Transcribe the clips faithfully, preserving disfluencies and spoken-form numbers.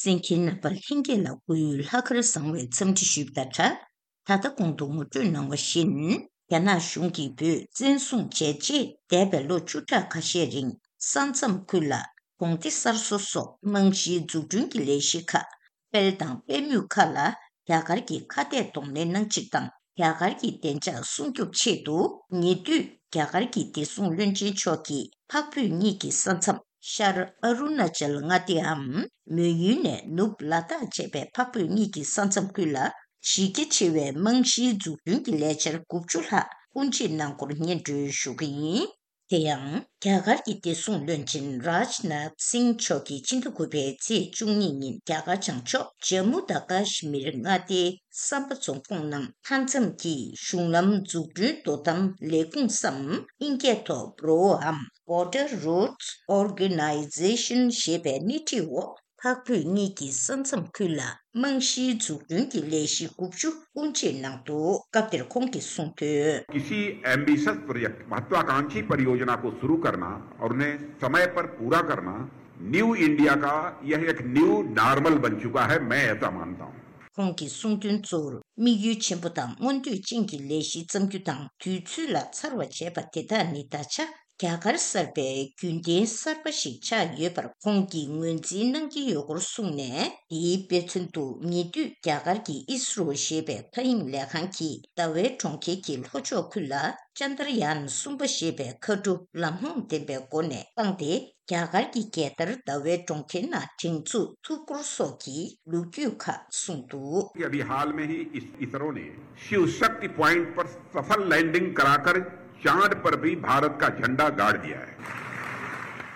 གསན་མཁན་རྣམ་པ་ལྷན་རྒྱས་ལ་སྐུ་ཡོད་ལྷག་དཀར་བཟང་བའི་འཚམས་འདྲི་ཞུས་པ་དང་སྦྲགས། ད་ལྟ་གོང་དུ་ངོ་སྤྲོད་གནང་བ་བཞིན། རྒྱ་ནག་གཞུང་གིས་བོད་བཙན་བཟུང་བྱས་རྗེས་འདས་པའི་ལོ་བཅུ་ཕྲག་ཁ་ཤས་རིང་ས་མཚམས་ཁུལ་ལ་གྲོང་སྡེ་གསར་བཟོ་སོགས་རྨང་གཞིའི་འཛུགས་སྐྲུན་གྱི་ལས་གཞི་ཁག་སྤེལ་དང་སྤེལ་མུས་ཁག་ལ་རྒྱ་གར་གྱིས་ཁ་གཏད་གདོང་ལེན་གནང་ཕྱིར་དང་། རྒྱ་གར་གྱི་བདེ་འཇགས་སྲུང་སྐྱོབ་ཆེད་དུ་ཉེ་དུས་རྒྱ་གར་གྱི་བདེ་སྲུང་བློན་ཆེན་མཆོག་གིས་འཕགས་བོད་གཉིས་ཀྱི་ས་མཚམས། ཤར་ཨ་རུ་ན་ཅལ་མངའ་སྡེའམ་མོན་ཡུལ་ནས་ནུབ་ལ་དྭགས་བཅས་པའི་འཕགས་བོད་གཉིས་ཀྱི་ས་མཚམས་ཁུལ་ལ་གཞི་རྒྱ་ཆེ་བའི་རྨང་གཞིའི་འཛུགས་སྐྲུན་གྱི་ལས་འཆར་དགུ་བཅུ་ལྷག་དབུ་འབྱེད་གནང་སྐོར་སྙན་སྒྲོན་ཞུ་གི་ཡིན། དེ་ཡང་རྒྱ་གར་གྱི་བདེ་སྲུང་བློན་ཆེན་རཱཇ་ནཱཐ་སིང་མཆོག་གིས་ཕྱི་ཟླ་དགུ་པའི་ཚེས་བཅུ་གཉིས་ཉིན་རྒྱ་གར་བྱང་ཕྱོགས་ཇམ་མུ་དང་ཀ་ཤི་མིར་མངའ་སྡེའི་སམ་པ་རྫོང་ཁོངས་ནང་མཐའ་མཚམས་ཀྱི་གཞུང་ལམ་འཛུགས་སྐྲུན་དོ་དམ་ལས་ཁུངས་སམ་དབྱིན་སྐད་ཐོག་བྷྲོའམ། Border Roads Organization ཞེས་པའི་སྣེ་ཁྲིད་འོག་འཕགས་བོད་གཉིས་ཀྱི་ས་མཚམས་ཁུལ་ལ་རྨང་གཞིའི་འཛུགས་སྐྲུན་གྱི་ལས་གཞི་དགུ་བཅུ་དབུ་འབྱེད་གནང་འདུག་སྐབས་དེར་ཁོང་གིས་གསུངས་དོན། किसी ambitious project, महत्वाकांक्षी परियोजना को शुरू करना और उन्हें समय पर पूरा करना न्यू इंडिया का यह एक न्यू नॉर्मल बन चुका है, मैं ऐसा मानता हूँ। ཁོང་གིས་གསུངས་དོན་གཙོ་བོར་དམིགས་ཡུལ་ཆེན་པོ་དང་མངོན་འདོད་ཅན་གྱི་ལས་གཞི་བརྩམ་རྒྱུ་དང་དུས་ཚོད་ལ་ཚར་བ་བྱས་པ་དེ་དག་ནི་ད་ཆ་རྒྱ་གར་གསར་པའི་རྒྱུན་ལྡན་གསར་པ་ཞིག་ཆགས་ཡོད་པར་ཁོང་གིས་ངོས་འཛིན་གནང་གི་ཡོད་སྐོར་གསུངས་ནས། དེའི་དཔེ་མཚོན་དུ་ཉེ་དུས་རྒྱ་གར་གྱི་ཨིས་རོ་ཞེས་པའི་མཐའ་དབྱིངས་ལས་ཁང་གིས་ཟླ་བའི་གྲོང་ཁྱེར་གྱི་ལྷོ་ཕྱོགས་ཁུལ་ལ་ཅན་དར་ཡཱན་གསུམ་པ་ཞེས་པའི་མཁའ་གྲུ་ལམ་ལྷོང་ལྡན་པའི་སྒོ་ནས་བཏང་སྟེ། རྒྱ་གར་གྱི་རྒྱལ་དར་ཟླ་བའི་གྲོང་ཁྱེར་ནང་སྒྲེང་འཛུགས་ཐུབ་སྐོར་སོགས་ཀྱི་ལོ་རྒྱུས་ཁག་གསུངས་འདུག། अभी हाल में ही इस इसरो ने शिव शक्ति पॉइंट पर सफल लैंडिंग कराकर चांद पर भी भारत का झंडा गाड़ दिया है।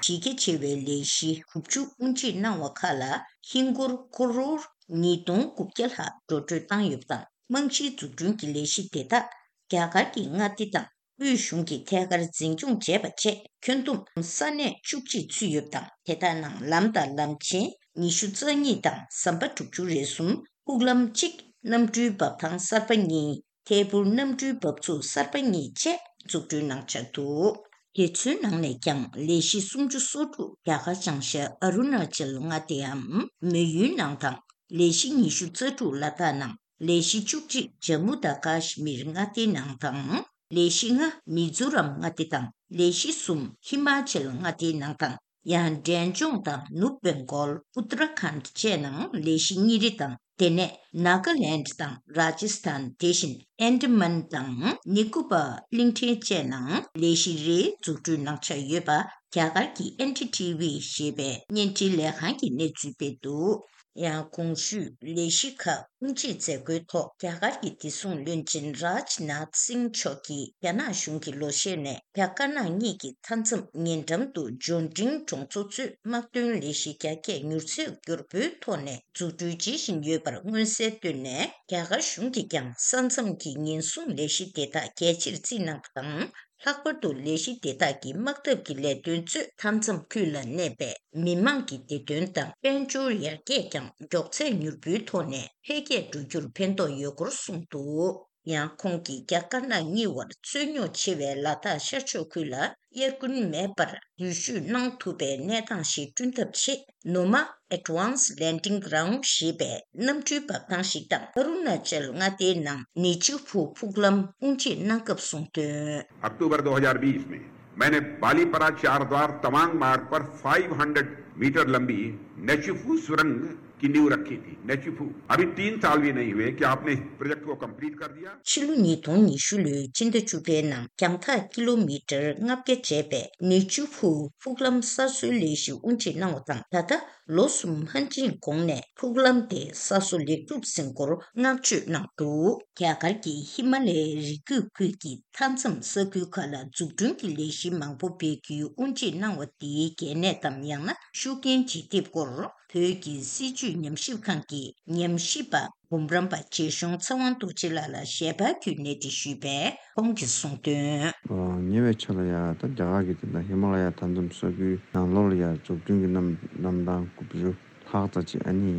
གཞི་རྒྱ་ཆེ་བའི་ལས་གཞི་དགུ་བཅུ་དབུ་འབྱེད་གནང་བ་ཁག་ལ་ཧིན་སྒོར་ཀོ་རོར་ཉིས་སྟོང་དགུ་བརྒྱ་ལྷག་འགྲོ་སྤྲོད་བཏང་ཡོད་པ་དང་། རྨང་གཞིའི་འཛུགས་སྐྲུན་གྱི་ལས་གཞི་དེ་དག་རྒྱ་གར་གྱི་མངའ་སྡེ་དང་། དབུས་གཞུང་གིས་ཐད་ཀར་འཛིན་སྐྱོང་བྱས་པ་བཅས་ཁྱོན་བསྡོམས་ས་གནས་བཅུ་གཅིག་ཚུད་ཡོད་པ་དང་། དེ་དག་ནང་ལམ་དང་ལམ་ཆེན་ཉི་ཤུ་རྩ་གཉིས་དང་ཟམ་པ་དྲུག་ཅུ་རེ་གསུམ། ཕུག་ལམ་གཅིག་གནམ་གྲུའི་འབབ་ཐང་གསར་པ་གཉིས། ཐད་འཕུར་གནམ་གྲུའི་འབབ་ཚུགས་གསར་པ་གཉིས་བཅས་འཛུགས་སྐྲུན་གནང་འཆར་འདུག། དེ་ཚོའི་ནང་ནས་ཀྱང་ལས་གཞི་སུམ་ཅུ་སོ་དྲུག་རྒྱ་གར་བྱང་ཤར་ཨ་རུ་ན་ཅལ་མངའ་སྡེའམ་མོན་ཡུལ་ནང་དང་། ལས་གཞི་ཉི་ཤུ་རྩ་དྲུག་ལ་དྭགས་ནང་། ལས་གཞི་བཅུ་གཅིག་ཇམ་མུ་དང་ཀ་ཤི་མིར་མངའ་སྡེའི་ནང་དང་། ལས་གཞི་ལྔ་མི་ཛོ་རམ་མངའ་སྡེ་དང་། ལས་གཞི་གསུམ་ཧི་མ་ཅལ་མངའ་སྡེའི་ནང་དང་། ཡང་འབྲས་ལྗོངས་དང་ནུབ་བེང་གོལ། ཨུ་ཏ་ར་ཁཱན་བཅས་ནང་ལས་གཞི་གཉིས་རེ་དང་། དེ་ནས་ནཱ་ག་ལེནྜ་དང་རཱ་ཇི་སི་ཐན། དེ་བཞིན་ཨན་ཌ་མན་དང་ནི་ཀོ་པར་གླིང་ཕྲན་བཅས་ནང་ལས་གཞི་རེ་འཛུགས་སྐྲུན་གནང་འཆར་ཡོད་པ་རྒྱ་གར་གྱི་ཨེན་ཌི་ཊི་ཝི་ཞེས་པའི་བརྙན་འཕྲིན་ལས་ཁང་གིས་གནས་ཚུལ་སྤེལ་འདུག། ཡང་གོང་ཞུས་ལས་གཞི་ཁག་དབུ་འབྱེད་མཛད་སྒོའི་ཐོག་རྒྱ་གར་གྱི་བདེ་སྲུང་བློན་ཆེན་རཱཇ་ནཱཐ་སིང་མཆོག་གིས་རྒྱ་ནག་གཞུང་གི་ལོ་ཤས་ནས་རྒྱ་དཀར་ནག་གཉིས་ཀྱི་མཐའ་མཚམས་ཉེ་འགྲམ་དུ་འབྱོར་འབྲིང་གྲོང་ཚོ་གཙོས་དམག་དོན་ལས་གཞི་རྒྱ་སྐྱེད་མྱུར་ཚད་མགྱོགས་པོའི་ཐོག་ནས་འཛུགས་སྐྲུན་བྱེད་བཞིན་ཡོད་པར་མངོན་གསལ་བཏོན་ནས། རྒྱ་གར་གཞུང་གིས་ཀྱང་ས་མཚམས་ཀྱི་ཉེན་སྲུང་ལས་གཞི་དེ་དག་གལ་ཆེར་བརྩིས་གནང་བ་དང་། ལྷག་པར་དུ་ལས་གཞི་དེ་དག་གི་དམག་འཐབ་ཀྱི་ལས་དོན་གཙོས་མཐའ་མཚམས་ཁུལ་ལ་གནས་པའི་མི་མང་གི་བདེ་དོན་དང་དཔལ་འབྱོར་ཡར་རྒྱས་ཀྱང་མགྱོགས་ཚད་མྱུར་པོའི་ཐོག་ནས་འཕེལ་རྒྱས་འགྲོ་རྒྱུར་ཕན་ཐོགས་ཡོད་སྐོར་གསུངས་འདུག། ཡང་ཁོང་གིས་རྒྱ་དཀར་ནག་གཉིས་བར་རྩོད་རྙོག་ཆེ་བའི་ལ་དྭགས་ཤར་ཕྱོགས་ཁུལ་ལ་དབྱར་དགུན་མེད་པར་འགུལ་སྐྱོད་གནང་ཐུབ་པའི་གནས་སྟངས་ཤིག་བསྐྲུན་ཐབས་ཆེད། ནུ་མ་Advanced Landing Ground ཞེས་པའི་གནམ་གྲུའི་འབབ་ཐང་ཞིག་དང་། ཨ་རུ་ན་ཅལ་མངའ་སྡེའི་ནང་ནེ་ཆུ་ཕུ་ཕུག་ལམ་དབུ་འབྱེད་གནང་སྐབས་གསུངས་དོན། अक्टूबर दो हज़ार बीस में मैंने बालीपरा चारद्वार तवांग मार्ग पर फ़ाइव हंड्रेड मीटर लंबी नेचुफू सुरंग की नींव रखी थी। नेचुफू, अभी तीन साल भी नहीं हुए कि आपने इस प्रोजेक्ट को कंप्लीट कर दिया। ཕྱི་ལོ་ཉིས་སྟོང་ཉི་ཤུ་ལོའི་ཕྱི་ཟླ་བཅུ་པའི་ནང་རྒྱང་ཐག་ཀི་ལོ་མི་ཊར་ལྔ་བརྒྱ་བྱས་པའི་ནེ་ཆུ་ཕུ་ཕུག་ལམ་གསར་བཟོའི་ལས་གཞི་དབུ་འབྱེད་གནང་བ་དང་། ད་ལྟ་ལོ་གསུམ་ལྷག་ཅིག་གོང་ནས་ཕུག་ལམ་དེ་གསར་བཟོ་ལེགས་གྲུབ་ཟིན་སྐོར་བསྔགས་བརྗོད་གནང་འདུག། རྒྱ་གར་གྱི་ཧི་མ་ལའི་རི་རྒྱུད་ཁུལ་གྱི་མཐའ་མཚམས་ས་ཁུལ་ཁག་ལ་འཛུགས་སྐྲུན་གྱི་ལས་གཞི་མང་པོ་སྤེལ་རྒྱུའི་དབུ་འབྱེད་གནང་བ་དེའི་གལ་གནད་དམ་ཡང་ན་ཤུགས་རྐྱེན་ཇི་ཐེབས་སྐོར། བོད་ཀྱི་སྲིད་བྱུས་ཉམས་ཞིབ་ཁང་གི་ཉམས་ཞིབ་པ་འབུམ་རམས་པ་རྗེ་གཞུང་ཚེ་དབང་རྡོ་རྗེ་ལགས་ལ་ཞལ་པར་བརྒྱུད་གནས་འདྲི་ཞུས་པས་ཁོང་གིས་གསུངས་དོན། ཉེ་བའི་ཆར་ལ་ཡ་ད་རྒྱ་གར་གྱི་དེ་འདྲ་ཧི་མ་ལ་ཡ་མཐའ་མཚམས་ས་ཁུལ་ནང་ལོགས་ལ་ཡ་འཛུགས་སྐྲུན་གྱི་རྣམ་རྣམ་གྲངས་དགུ་བཅུ་ལྷག་ཙམ་ཅིག་ཨ་ནི་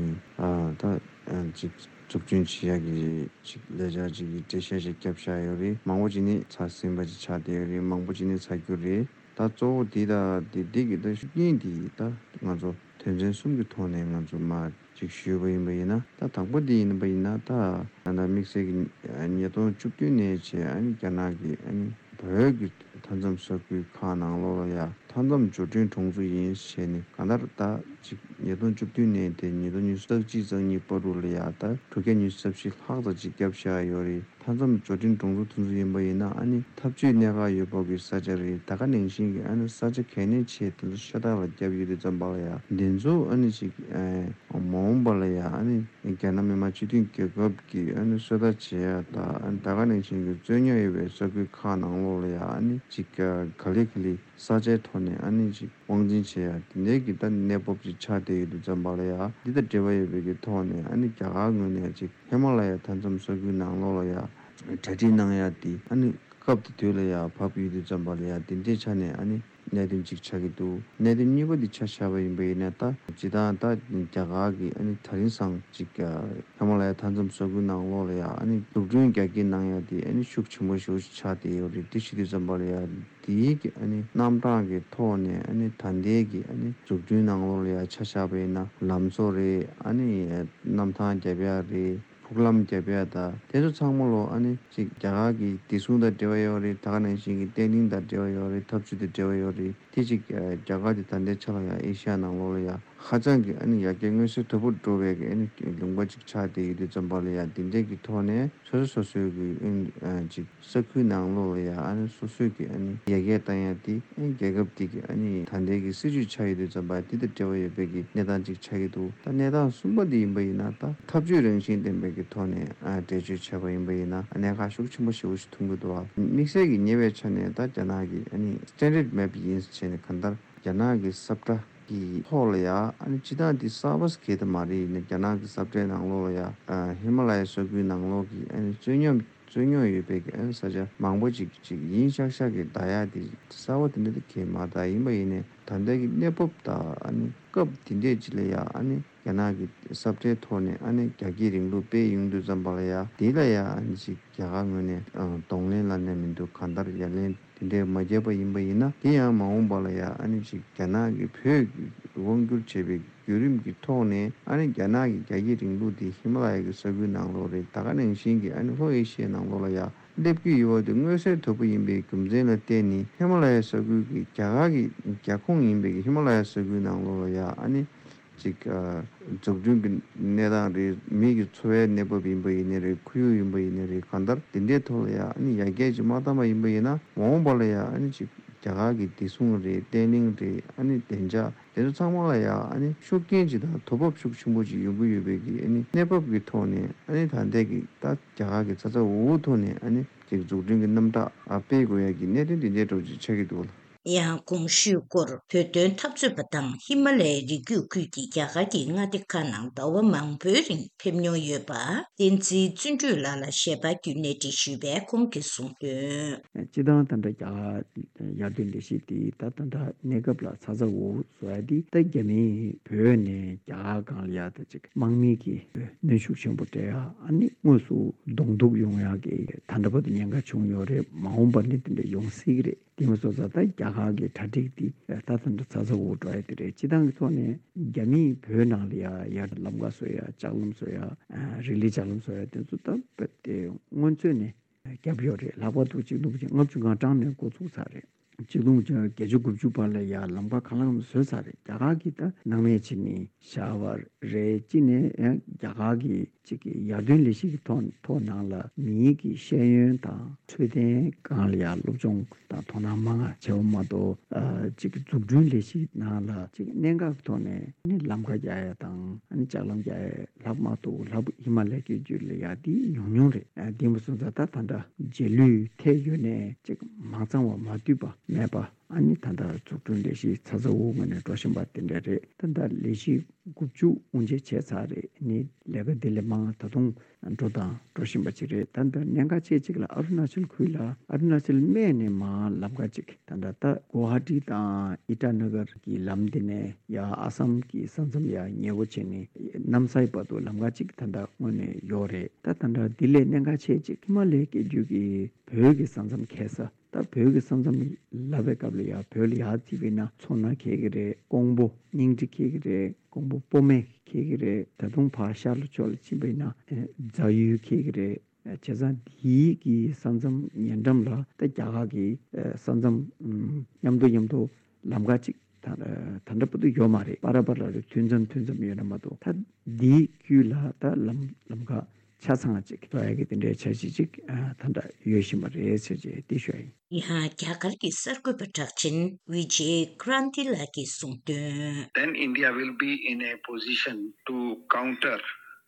ད་ཅིག་ འཛུགས་སྐྲུན་བྱེད་ཡག་གི་ཅིག་ལས་འཆར་ཅིག་གི་འགྲེལ་བཤད་ཅིག་བརྒྱབ་བཞག་ཡོད་རེད། མང་པོ་ཅིག་ནི་ཚར་ཟིན་པ་ཅིག་ཆགས་བསྡད་ཡོད་རེད། མང་པོ་ཅིག་ནི་ཚར་རྒྱུ་རེད། ད་གཙོ་བོ་འདི་དང་འདི་འདི་གི་ད་ཤུགས་རྐྱེན་འདི་ད་ང་ཚོ་དོན་ཚན་གསུམ་གྱི་ཐོག་ནས་ང་ཚོ་མར་ཅིག་ཞུས་པ་ཡིན་པ་ཡིན་ན། ད་དང་པོ་འདི་ཡིན་པ་ཡིན་ན། ད་ད་ལྟ་དམིགས་བསལ་གྱི་ཉིས་སྟོང་བཅུ་བདུན་ནས་བྱས་ཨ་ནི་རྒྱ་ནག་གི་ཨ་ནི་བོད་ཀྱི་མཐའ་མཚམས་ས་ཁུལ་ཁག་ནང་ལོགས་ལ་ཡ་མཐའ་མཚམས་འབྱོར་འབྲིང་གྲོང་ཚོ་ཡིན་ཞེས་ནས། གང་ལྟར་ད་ཅིག་ཉིས་སྟོང་བཅུ་བདུན་ནས་དེ་ཉིས་སྟོང་ཉི་ཤུ་རྩ་གཅིག་རྩ་གཉིས་བར་དུ་ལ་ཡ་ད་དྲུག་བརྒྱ་ཉི་ཤུ་རྩ་བཞི་ལྷག་ཙམ་ཅིག་བརྒྱབ་བཞག་ཡོད་རེད། མཐའ་མཚམས་འབྱོར་འབྲིང་གྲོང་ཚོ་དེ་ཚོ་ཡིན་པ་ཡིན་ན་ཨ་ནི་འཐབ་ཇུས་གནད་འགག་ཡོད་པ་གི་ས་ཆ་རེད། ད་ག་ནང་བཞིན་གྱི་ཨ་ནི་ས་ཆ་གལ་གནད་ཆེ་དེ་ཚོ་ཤ་སྟག་ལ་བརྒྱབ་ཡོད་དུས་ཙམ་པ་ལ་ཡ་འདི་ཚོ་ཨ་ནི་ཅིག་ཨ་མ་འོངས་པ་ལ་ཡ་ཨ་ནི་རྒྱ་ནག་མི་དམངས་སྤྱི་མཐུན་རྒྱལ་ཁབ་ཀྱི་ཨ་ནི་སོ་ལྟ་བྱེད་ཡ་དང་། ཨ་ནི་ད་ག་ནང་བཞིན་གྱི་རྩོད་རྙོག་ཡོད་པའི་ས་ཁུལ་ཁག་ནང་ལོགས་ལ་ཡ་ཨ་ནི་ཅིག་ག་ལེ་ག་ལེ་ས་ཆའི་ཐོག་ནས་ཨ་ནི་ཅིག་དབང་འཛིན་བྱེད་ཡ་དེ་འདྲའི་གི་ད་གནས་བབ་ཅིག་ཆགས་བསྡད་ཡོད་དུས་ཙམ་པ་ལ་ཡ། འདི་དང་འབྲེལ་བ་ཡོད་པའི་གི་ཐོག་ནས་ཨ་ནི་རྒྱ་གར་ངོས་ནས་ཅིག་ཧི་མ་ལ་ཡ་མཐའ་མཚམས་ས་ཁུལ་ནང་ལོགས་ལ་ཡ་གྲ་སྒྲིག་གནང་ཡ་དེ་ཨ་ནི་སྐབས་དེ་དུས་ལ་ཡ་བབས་ཡོད་དུས་ཙམ་པ་ལ་ཡ་དེ་འདྲའི་ཆ་ནས་ཨ་ནི་གནད་དོན་གཅིག་ཆགས་ཀྱི་འདུག་གནད་དོན་གཉིས་པ་འདི་ཆ་བཞག་པ་ཡིན་པ་ཡིན་ན། ད་སྤྱིར་བཏང་ད་རྒྱ་གར་གྱི་ཨ་ནི་ད་རིང་སང་ཅིག་ཧི་མ་ལ་ཡ་མཐའ་མཚམས་ས་ཁུལ་ནང་ལོགས་ལ་ཡ་ཨ་ནི་འཛུགས་སྐྲུན་རྒྱ་སྐྱེད་གནང་ཡ་དེ་ཨ་ནི་ཤུགས་ཆེན་པོ་ཞེ་པོ་ཅིག་ཆགས་བསྡད་ཡོད་རེད། དེ་བྱེད་དུས་ཙམ་པ་ལ་ཡ་དེའི་གི་ཨ་ནི་རྣམ་གྲངས་ཀྱི་ཐོག་ནས་ཨ་ནི་ད་ལྟའི་གི་ཨ་ནི་འཛུགས་སྐྲུན་ནང་ལོགས་ལ་ཡ་ཆ་བཞག་པ་ཡིན་ན་ལམ་བཟོ་རེད། ཨ་ནི་གནམ་ཐང་རྒྱབ་ཡ་རེད། ཕུག་ལམ་རྒྱབ་ཡ་དང་དེ་ཚོ་ཚང་མ་ལོ་ཨ་ནི་ཅིག་རྒྱ་གར་གྱི་བདེ་སྲུང་དང་འབྲེལ་བ་ཡོད་རེད། ད་ག་ནང་བཞིན་གྱི་བརྟན་ལྷིང་དང་འབྲེལ་བ་ཡོད་རེད། འཐབ་ཇུས་དང་འབྲེལ་བ་ཡོད་རེད། དེ་ཅིག་རྒྱ་གར་དེ་ད་ལྟའི་ཆ་ལ་ཡ་ཨེ་ཤི་ཡ་ནང་ལོགས་ལ་ཡ་ཧ་ཅང་གི་ཨ་ནི་ཡར་རྒྱས་མངོན་གསལ་དོད་པོ་འགྲོ་བའི་གི་ཨ་ནི་ལུང་པ་ཅིག་ཆགས་བསྡད་ཡོད་དུས་ཙམ་པ་ལ་ཡ་དེ་འདྲའི་གི་ཐོག་ནས་སོ་སོ་སོ་སོའི་གི་ཨ་ནི་ཅིག་ས་ཁུལ་ནང་ལོགས་ལ་ཡ་ཨ་ནི་སོ་སོའི་གི་ཨ་ནི་ཡར་རྒྱས་བཏང་ཡ་དེ་ཨ་ནི་རྒྱལ་ཁབ་དེ་གི་ཨ་ནི་ད་ལྟའི་གི་སྲིད་ཇུས་ཆགས་ཡོད་དུས་ཙམ་པ་དེ་དང་འབྲེལ་བ་ཡོད་པའི་གི་གནས་སྟངས་ཅིག་ཆགས་ཀྱི་འདུག་ད་གནས་སྟངས་གསུམ་པ་འདི་ཡིན་པ་ཡིན་ན། ད་འཐབ་ཇུས་རང་བཞིན་ལྡན་པའི་གི་ཐོག་ནས་ཨ་འགྲེལ་བརྗོད་བྱས་པ་ཡིན་པ་ཡིན་ན་གནད་འགག་ཤུགས་ཆེན་པོ་ཞེ་པོ་ཞིག་མཐོང་གི་འདུག་བ། དམིགས་བསལ་གྱི་ཉེ་བའི་ཆ་ནས་ད་རྒྱ་ནག་གི་ཨ་ནི་standard map ཡིན་ཟེར་བྱས་ནས་གང་ལྟར་རྒྱ་ནག་གི་ས་བཀྲ་གི་ཐོག་ལ་ཡ་ཨ་ནི་སྤྱིར་བཏང་འདི་གསར་པ་ཟེར་གྱི་ད་མ་རེད། ཡིན་ན་རྒྱ་ནག་གི་ས་བཀྲའི་ནང་ལོགས་ལ་ཡ་ཨ་ཧི་མ་ལ་ཡའི་ས་ཁུལ་ནང་ལོགས་ཀྱི་ཨ་ནི་རྩོད་རྙོག་རྩོད་རྙོག་ཡོད་པའི་གི་ཨ་ནི་ས་ཆ་མང་པོ་ཅིག་ཅིག་ཡིན་ཤག་ཤག་གི་བསྡད་ཡ་དེ་གསར་པ་དེ་འདྲ་དེ་གས་མ་རེད། ད་ཡིན་པ་ཡིན་ནའི་ད་ལྟའི་གི་གནས་བབ་དང་ཨ་ནི་སྐབས་དེ་འདྲས་ཅིག་ལ་ཡ་ཨ་ནི་རྒྱ་ནག་གི་ས་བཀྲའི་ཐོག་ནས་ཨ་ནི་རྒྱ་སྐྱེད་རིང་ལུགས་སྤེལ་ཡོང་དུས་ཙམ་པ་ལ་ཡ་དེ་ལ་ཡ་ཨ་ནི་ཅིག་རྒྱ་གར་ངོས་ནས་ཨ་གདོང་ལེན་ལབ་ནས་མི་འདུག་གང་ལྟར་ཡ་ལན་དེ་འདྲས་མ་བརྒྱབ་པ་ཡིན་པ་ཡིན་ན། དེ་ཡང་མ་འོངས་པ་ལ་ཡ་ཨ་ནི་ཅིག་རྒྱ་ནག་གི་བོད་དབང་བསྒྱུར་བྱས་པའི་བརྒྱུད་རིམ་གྱི་ཐོག་ནས་ཨ་ནི་རྒྱ་ནག་གི་རྒྱ་སྐྱེད་རིང་ལུགས་དེ་ཧི་མ་ལ་ཡ་གི་ས་ཁུལ་ནང་ལོགས་རེད། ད་ག་ནང་བཞིན་གྱི་ཨ་ནི་ལྷོ་ཨེ་ཤི་ཡའི་ནང་ལོགས་ལ་ཡ་སླེབས་ཀྱི་ཡོད་པ་དེ་མངོན་གསལ་དོད་པོ་ཡིན་པའི་རྒྱུ་མཚན་ལ་བརྟེན་ནས་ཧི་མ་ལ་ཡའི་ས་ཁུལ་གྱི་རྒྱ་གར་གྱི་རྒྱ་ཁོངས་ཡིན་པའི་གི་ཧི་མ་ལ་ཡའི་ས་ཁུལ་ནང་ལོགས་ལ་ཡ་ཨ་ནི་ཅིག་ཨ་འཛུགས་སྐྲུན་གྱི་གནས་སྟངས་རེད། མི་གི་འཚོ་བའི་གནས་བབ་ཡིན་པ་ཡིན་ནའི་རེད། ཁོར་ཡུག་ཡིན་པ་ཡིན་ནའི་རེད། གང་ལྟར་དེ་འདྲའི་ཐོག་ལ་ཡ་ཨ་ནི་ཡར་རྒྱས་ཅིག་མ་བཏང་པ་ཡིན་པ་ཡིན་ན་མ་འོངས་པ་ལ་ཡ་ཨ་ནི་ཅིག་རྒྱ་གར་གྱི་བདེ་སྲུང་རེད། བརྟན་ལྷིང་རེད། ཨ་ནི་བདེ་འཇགས་དེ་ཚོ་ཚང་མ་ལ་ཡ་ཨ་ནི་ཤུགས་རྐྱེན་ཅིག་དང་དོ་ཕོག་ཤུགས་ཆེན་པོ་ཅིག་ཡོང་གི་ཡོད་པའི་གི་ཨ་ནི་གནས་བབ་ཀྱི་ཐོག་ནས་ཨ་ནི་ད་ལྟའི་གི་ད་རྒྱ་གར་གྱི་ཚ་ཚ་འུར་འུར་ཐོག་ནས་ཨ་ནི་ཅིག་འཛུགས་སྐྲུན་གྱི་རྣམ་གྲངས་ཨ་སྤེལ་དགོས་ཡ་གི་གནད་དོན་དེ་འདྲའི་འདྲ་བོ་ཅིག་ཆགས་ཀྱི་འདུག་ལ། ཡང་གོང་ཞུས་སྐོར་བོད་དོན་འཐབ་རྩོད་པ་དང་ཧི་མ་ལ་ཡའི་རི་རྒྱུད་ཁུལ་གྱི་རྒྱ་གར་གྱི་མངའ་སྡེ་ཁག་ནང་ཟླ་བ་མང་པོའི་རིང་ཕེབས་མྱོང་ཡོད་པ་བསྟན་འཛིན་བརྩོན་འགྲུས་ལགས་ལ་ཞལ་པར་བརྒྱུད་གནས་འདྲི་ཞུས་པས་ཁོང་གིས་གསུངས་དོན། སྤྱིར་བཏང་ད་ལྟ་རྒྱ་གར་ཡར་ཐོན་ལས་གཞི་དེ་ད་ད་ལྟ་གནས་སྐབས་ལ་ཚ་ཚ་འུར་འུར་བཟོ་ཡ་དེ་ད་རྒྱ་མིས་བོད་ནས་རྒྱ་གར་སྒང་ལ་ཡ་ད་ཅིག་དམག་མི་གི་གནོན་ཤུགས་ཆེན་པོ་སྤྲད་ཡ་ཨ་ནི་དངོས་སུ་གདོང་ཐུག་ཡོང་ཡ་གི་ད་ལྟ་བར་དུ་ཉེན་ཁ་བྱུང་ཡོད་རེད། མ་འོངས་པ་ནས་དེ་འདྲ་ཡོང་སྲིད་ཀྱི་རེད། དེ་མ་སོང་ཙང་ད་རྒྱ་གར་གྱི་གྲ་སྒྲིག་འདི་ད་ད་འདྲ་ཚ་ཚ་འུར་འགྲོ་ཡ་དེ་རེད། སྤྱིར་བཏང་གི་ཐོག་ནས་རྒྱ་མིས་བོད་ནང་ལ་ཡ་ཡར་ལམ་ཁ་བཟོ་ཡ་ལྕགས་ལམ་བཟོ་ཡ་རི་ལི་ལྕགས་ལམ་བཟོ་ཡ་དེ་ཚོ་ད་དེ་སྔོན་ཚོད་ནས་བརྒྱབ་ཡོད་རེད། ལྷག་པར་དུ་ཆིག་སྟོང་དགུ་བརྒྱ་ལྔ་བཅུ་ང་གྲངས་ནས་འགོ་ཚུགས་ཚར་རེད། ཆིག་སྟོང་དགུ་བརྒྱ་བརྒྱད་ཅུ་གོ་གཅིག་བར་ལ་ཡ་ལམ་ཁ་གང་ལ་གང་བཟོས་ཚར་རེད། རྒྱ་གར་གྱི་ད་སྣང་མེད་བྱེད་མི་བཞག་པ་རེད། གཅིག་ནས་ཡང་རྒྱ་གར་གྱི་གཅིག་གི་ཡར་ཐོན་ལས་གཞི་གི་ཐོག་ཐོག་ནང་ལ་མིའི་གི་ཤེས་ཡོན་དང་འཕྲོད་བསྟེན་སྒང་ལ་ཡ་སློབ་སྦྱོང་དང་དོ་སྣང་མང་ང་བྱས་པ་མ་གཏོགས། ཨ་གཅིག་གི་འཛུགས་སྐྲུན་ལས་གཞི་ནང་ལ་གཅིག་གནད་འགག་གི་ཐོག་ནས་ནི་ལམ་ཁ་རྒྱག་ཡ་དང་ཨ་ནི་ལྕགས་ལམ་རྒྱག་ཡ་ལྷག་མ་གཏོགས་ལྷག་ཧི་མ་ལ་ཡའི་རྒྱུད་ལ་ཡ་དེ་ཉུང་ཉུང་རེད། ཨ་དེ་མ་སོང་ཙང་ད་ད་ལྟ་རྗེས་ལུས་ཐེབས་ཡོད་ནའི་གཅིག་མ་ཚང་བ་མ་འདུས་པ་མེད་པ། ཨ་ནི་ད་ལྟ་འཛུགས་སྐྲུན་ལས་གཞི་ཚ་ཚ་འུར་འུར་ངང་ནས་འགྲོ་བཞིན་པ་དེ་འདྲ་རེད། ད་ལྟ་ལས་གཞི་དགུ་བཅུ་དབུ་འབྱེད་བྱས་ཚར་རེད། ནི་ལས་ཀ་འདི་ལས་མང་ད་དུང་འགྲོ་དང་འགྲོ་བཞིན་པ་ཅིག་རེད། ད་ལྟ་གནད་འགག་ཆེ་གཅིག་ལ་ཨ་རུ་ན་ཅལ་ཁུལ་ལ་ཨ་རུ་ན་ཅལ་སྨད་ནས་མར་ལམ་ཁ་ཅིག་ད་ལྟ་ད་གོ་ཧ་ཊི་དང་ཨི་ཊ་ན་གར་གྱི་ལམ་འདི་ནས་ཡ་ཨ་སམ་གྱི་ས་མཚམས་ཡ་ཉེ་བོ་བྱས་ནས་གནམ་ས་ཡི་བར་དུ་ལམ་ཁ་ཅིག་ད་ལྟ་སྔོན་ནས་ཡོད་རེད། ད་ད་ལྟ་འདི་ལས་གནད་འགག་ཆེ་གཅིག་ཧི་མ་ལའི་སྐད་རྒྱུད་ཀྱི་བོད་ཀྱི་ས་མཚམས་ཁེལ་ས། ད་བོད་ཀྱི་ས་མཚམས་ལབ་པའི་སྐབས་ལ་ཡ་བོད་ལ་ཡར་བརྩིས་པས་ན་མཚོ་སྣ་ཁེལ་གྱི་རེད། ཀོང་པོ་སྙིང་ཁྲི་ཁེལ་གྱི་རེད། ཀོང་པོ་སྤོ་སྨད་ཁེལ་གྱི་རེད། ད་དུང་ཕར་ཤར་ལ་ཕྱོགས་ལ་ཕྱིན་པས་ན་ཨེ་རྫ་ཡུལ་ཁེལ་གྱི་རེད། བྱས་ཙང་འདིའི་གི་ས་མཚམས་ཉེ་འགྲམ་ལ་ད་རྒྱ་གར་གྱི་ཨེ་ས་མཚམས་ཨམ་མཉམ་དུ་མཉམ་དུ་ལམ་ཁ་ཅིག་ད་ད་ལྟ་བར་དུ་ཡོད་མ་རེད། པ་ར་པ་ར་རེ་མཐུད་མཚམས་མཐུད་མཚམས་ཡོད་ན་མ་གཏོགས་ད་འདིའི་རྒྱུད་ལ་ད་ལམ་ལམ་ཁ་ཆ་ཚང་ཅིག་ཐོ་ཡ་གི་དེ་འདྲའི་འཆར་གཞི་ཅིག་ཨ་ད་ལྟ་ཡོད་བཞིན་པ་རེད་ཟེར་བྱས་དེ་ཞུ་ཡ་ཡིན། ཡང་རྒྱ་གར་གྱི་གསར་འགོད་པ་གྲགས་ཅན་བི་ཇེ་ཀྲན་ཏི་ལགས་ཀྱིས་གསུངས་དོན། Then India will be in a position to counter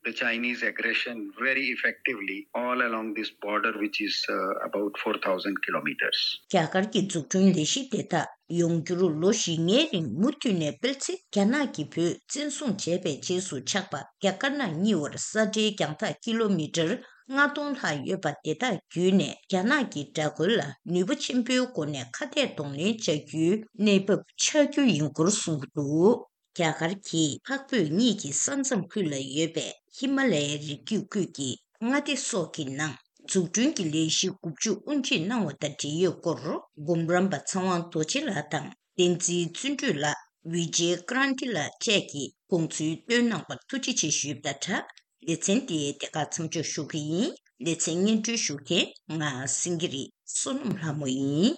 the Chinese aggression very effectively all along this border, which is uh, about four thousand kilometers. རྒྱ་གར་གྱི་འཛུགས་སྐྲུན་ལས་གཞི་དེ་དག་ཡོང་རྒྱུར་ལོ་བཞི་ལྔའི་རིང་མུ་མཐུད་ནས་སྤེལ་ཚེ། རྒྱ་ནག་གིས་བོད་བཙན་བཟུང་བྱས་པའི་རྗེས་སུ་ཆགས་པ་རྒྱ་དཀར་ནག་གཉིས་བར་ས་འབྲེལ་རྒྱང་ཐག་ཀི་ལོ་མི་ཊར་ལྔ་སྟོང་ལྷག་ཡོད་པ་དེ་དག་བརྒྱུད་ནས་རྒྱ་ནག་གི་དགྲ་རྒོལ་ལ་ནུས་པ་ཆེན་པོའི་སྒོ་ནས་ཁ་གཏད་གདོང་ལེན་བྱ་རྒྱུའི་གནས་བབ་ཆགས་རྒྱུ་ཡིན་སྐོར་གསུངས་འདུག་རྒྱ་གར་གྱིས་འཕགས་བོད་གཉིས་ཀྱི་ས་མཚམས་ཁུལ་ལ་ཡོད་པའི་ཧི་མ་ལ་ཡའི་རི་རྒྱུད་ཁུལ་གྱི་མངའ་སྡེ་སོགས་ཀྱི་ནང་འཛུགས་སྐྲུན་གྱི་ལས་གཞི་དགུ་བཅུ་དབུ་འབྱེད་གནང་བ་དང་འབྲེལ་ཡོད་སྐོར་འབུམ་རམས་པ་ཚེ་དབང་རྡོ་རྗེ་ལགས་དང་བསྟན་འཛིན་བརྩོན་འགྲུས་ལགས། བི་ཇེ་ཀྲན་ཏི་ལགས་བཅས་ཀྱིས་དགོངས་ཚུལ་བཏོན་གནང་བར་ཐུགས་རྗེ་ཆེ་ཞུས་པ་དང་སྦྲགས། ལེ་ཚན་འདི་དེ་གར་མཚམས་འཇོག་ཞུ་གི་ཡིན། ལེ་ཚན་སྙན་སྒྲོན་ཞུ་མཁན་ང་སེང་གེ་རི་བསོད་ནམས་ལྷ་མོ་ཡིན།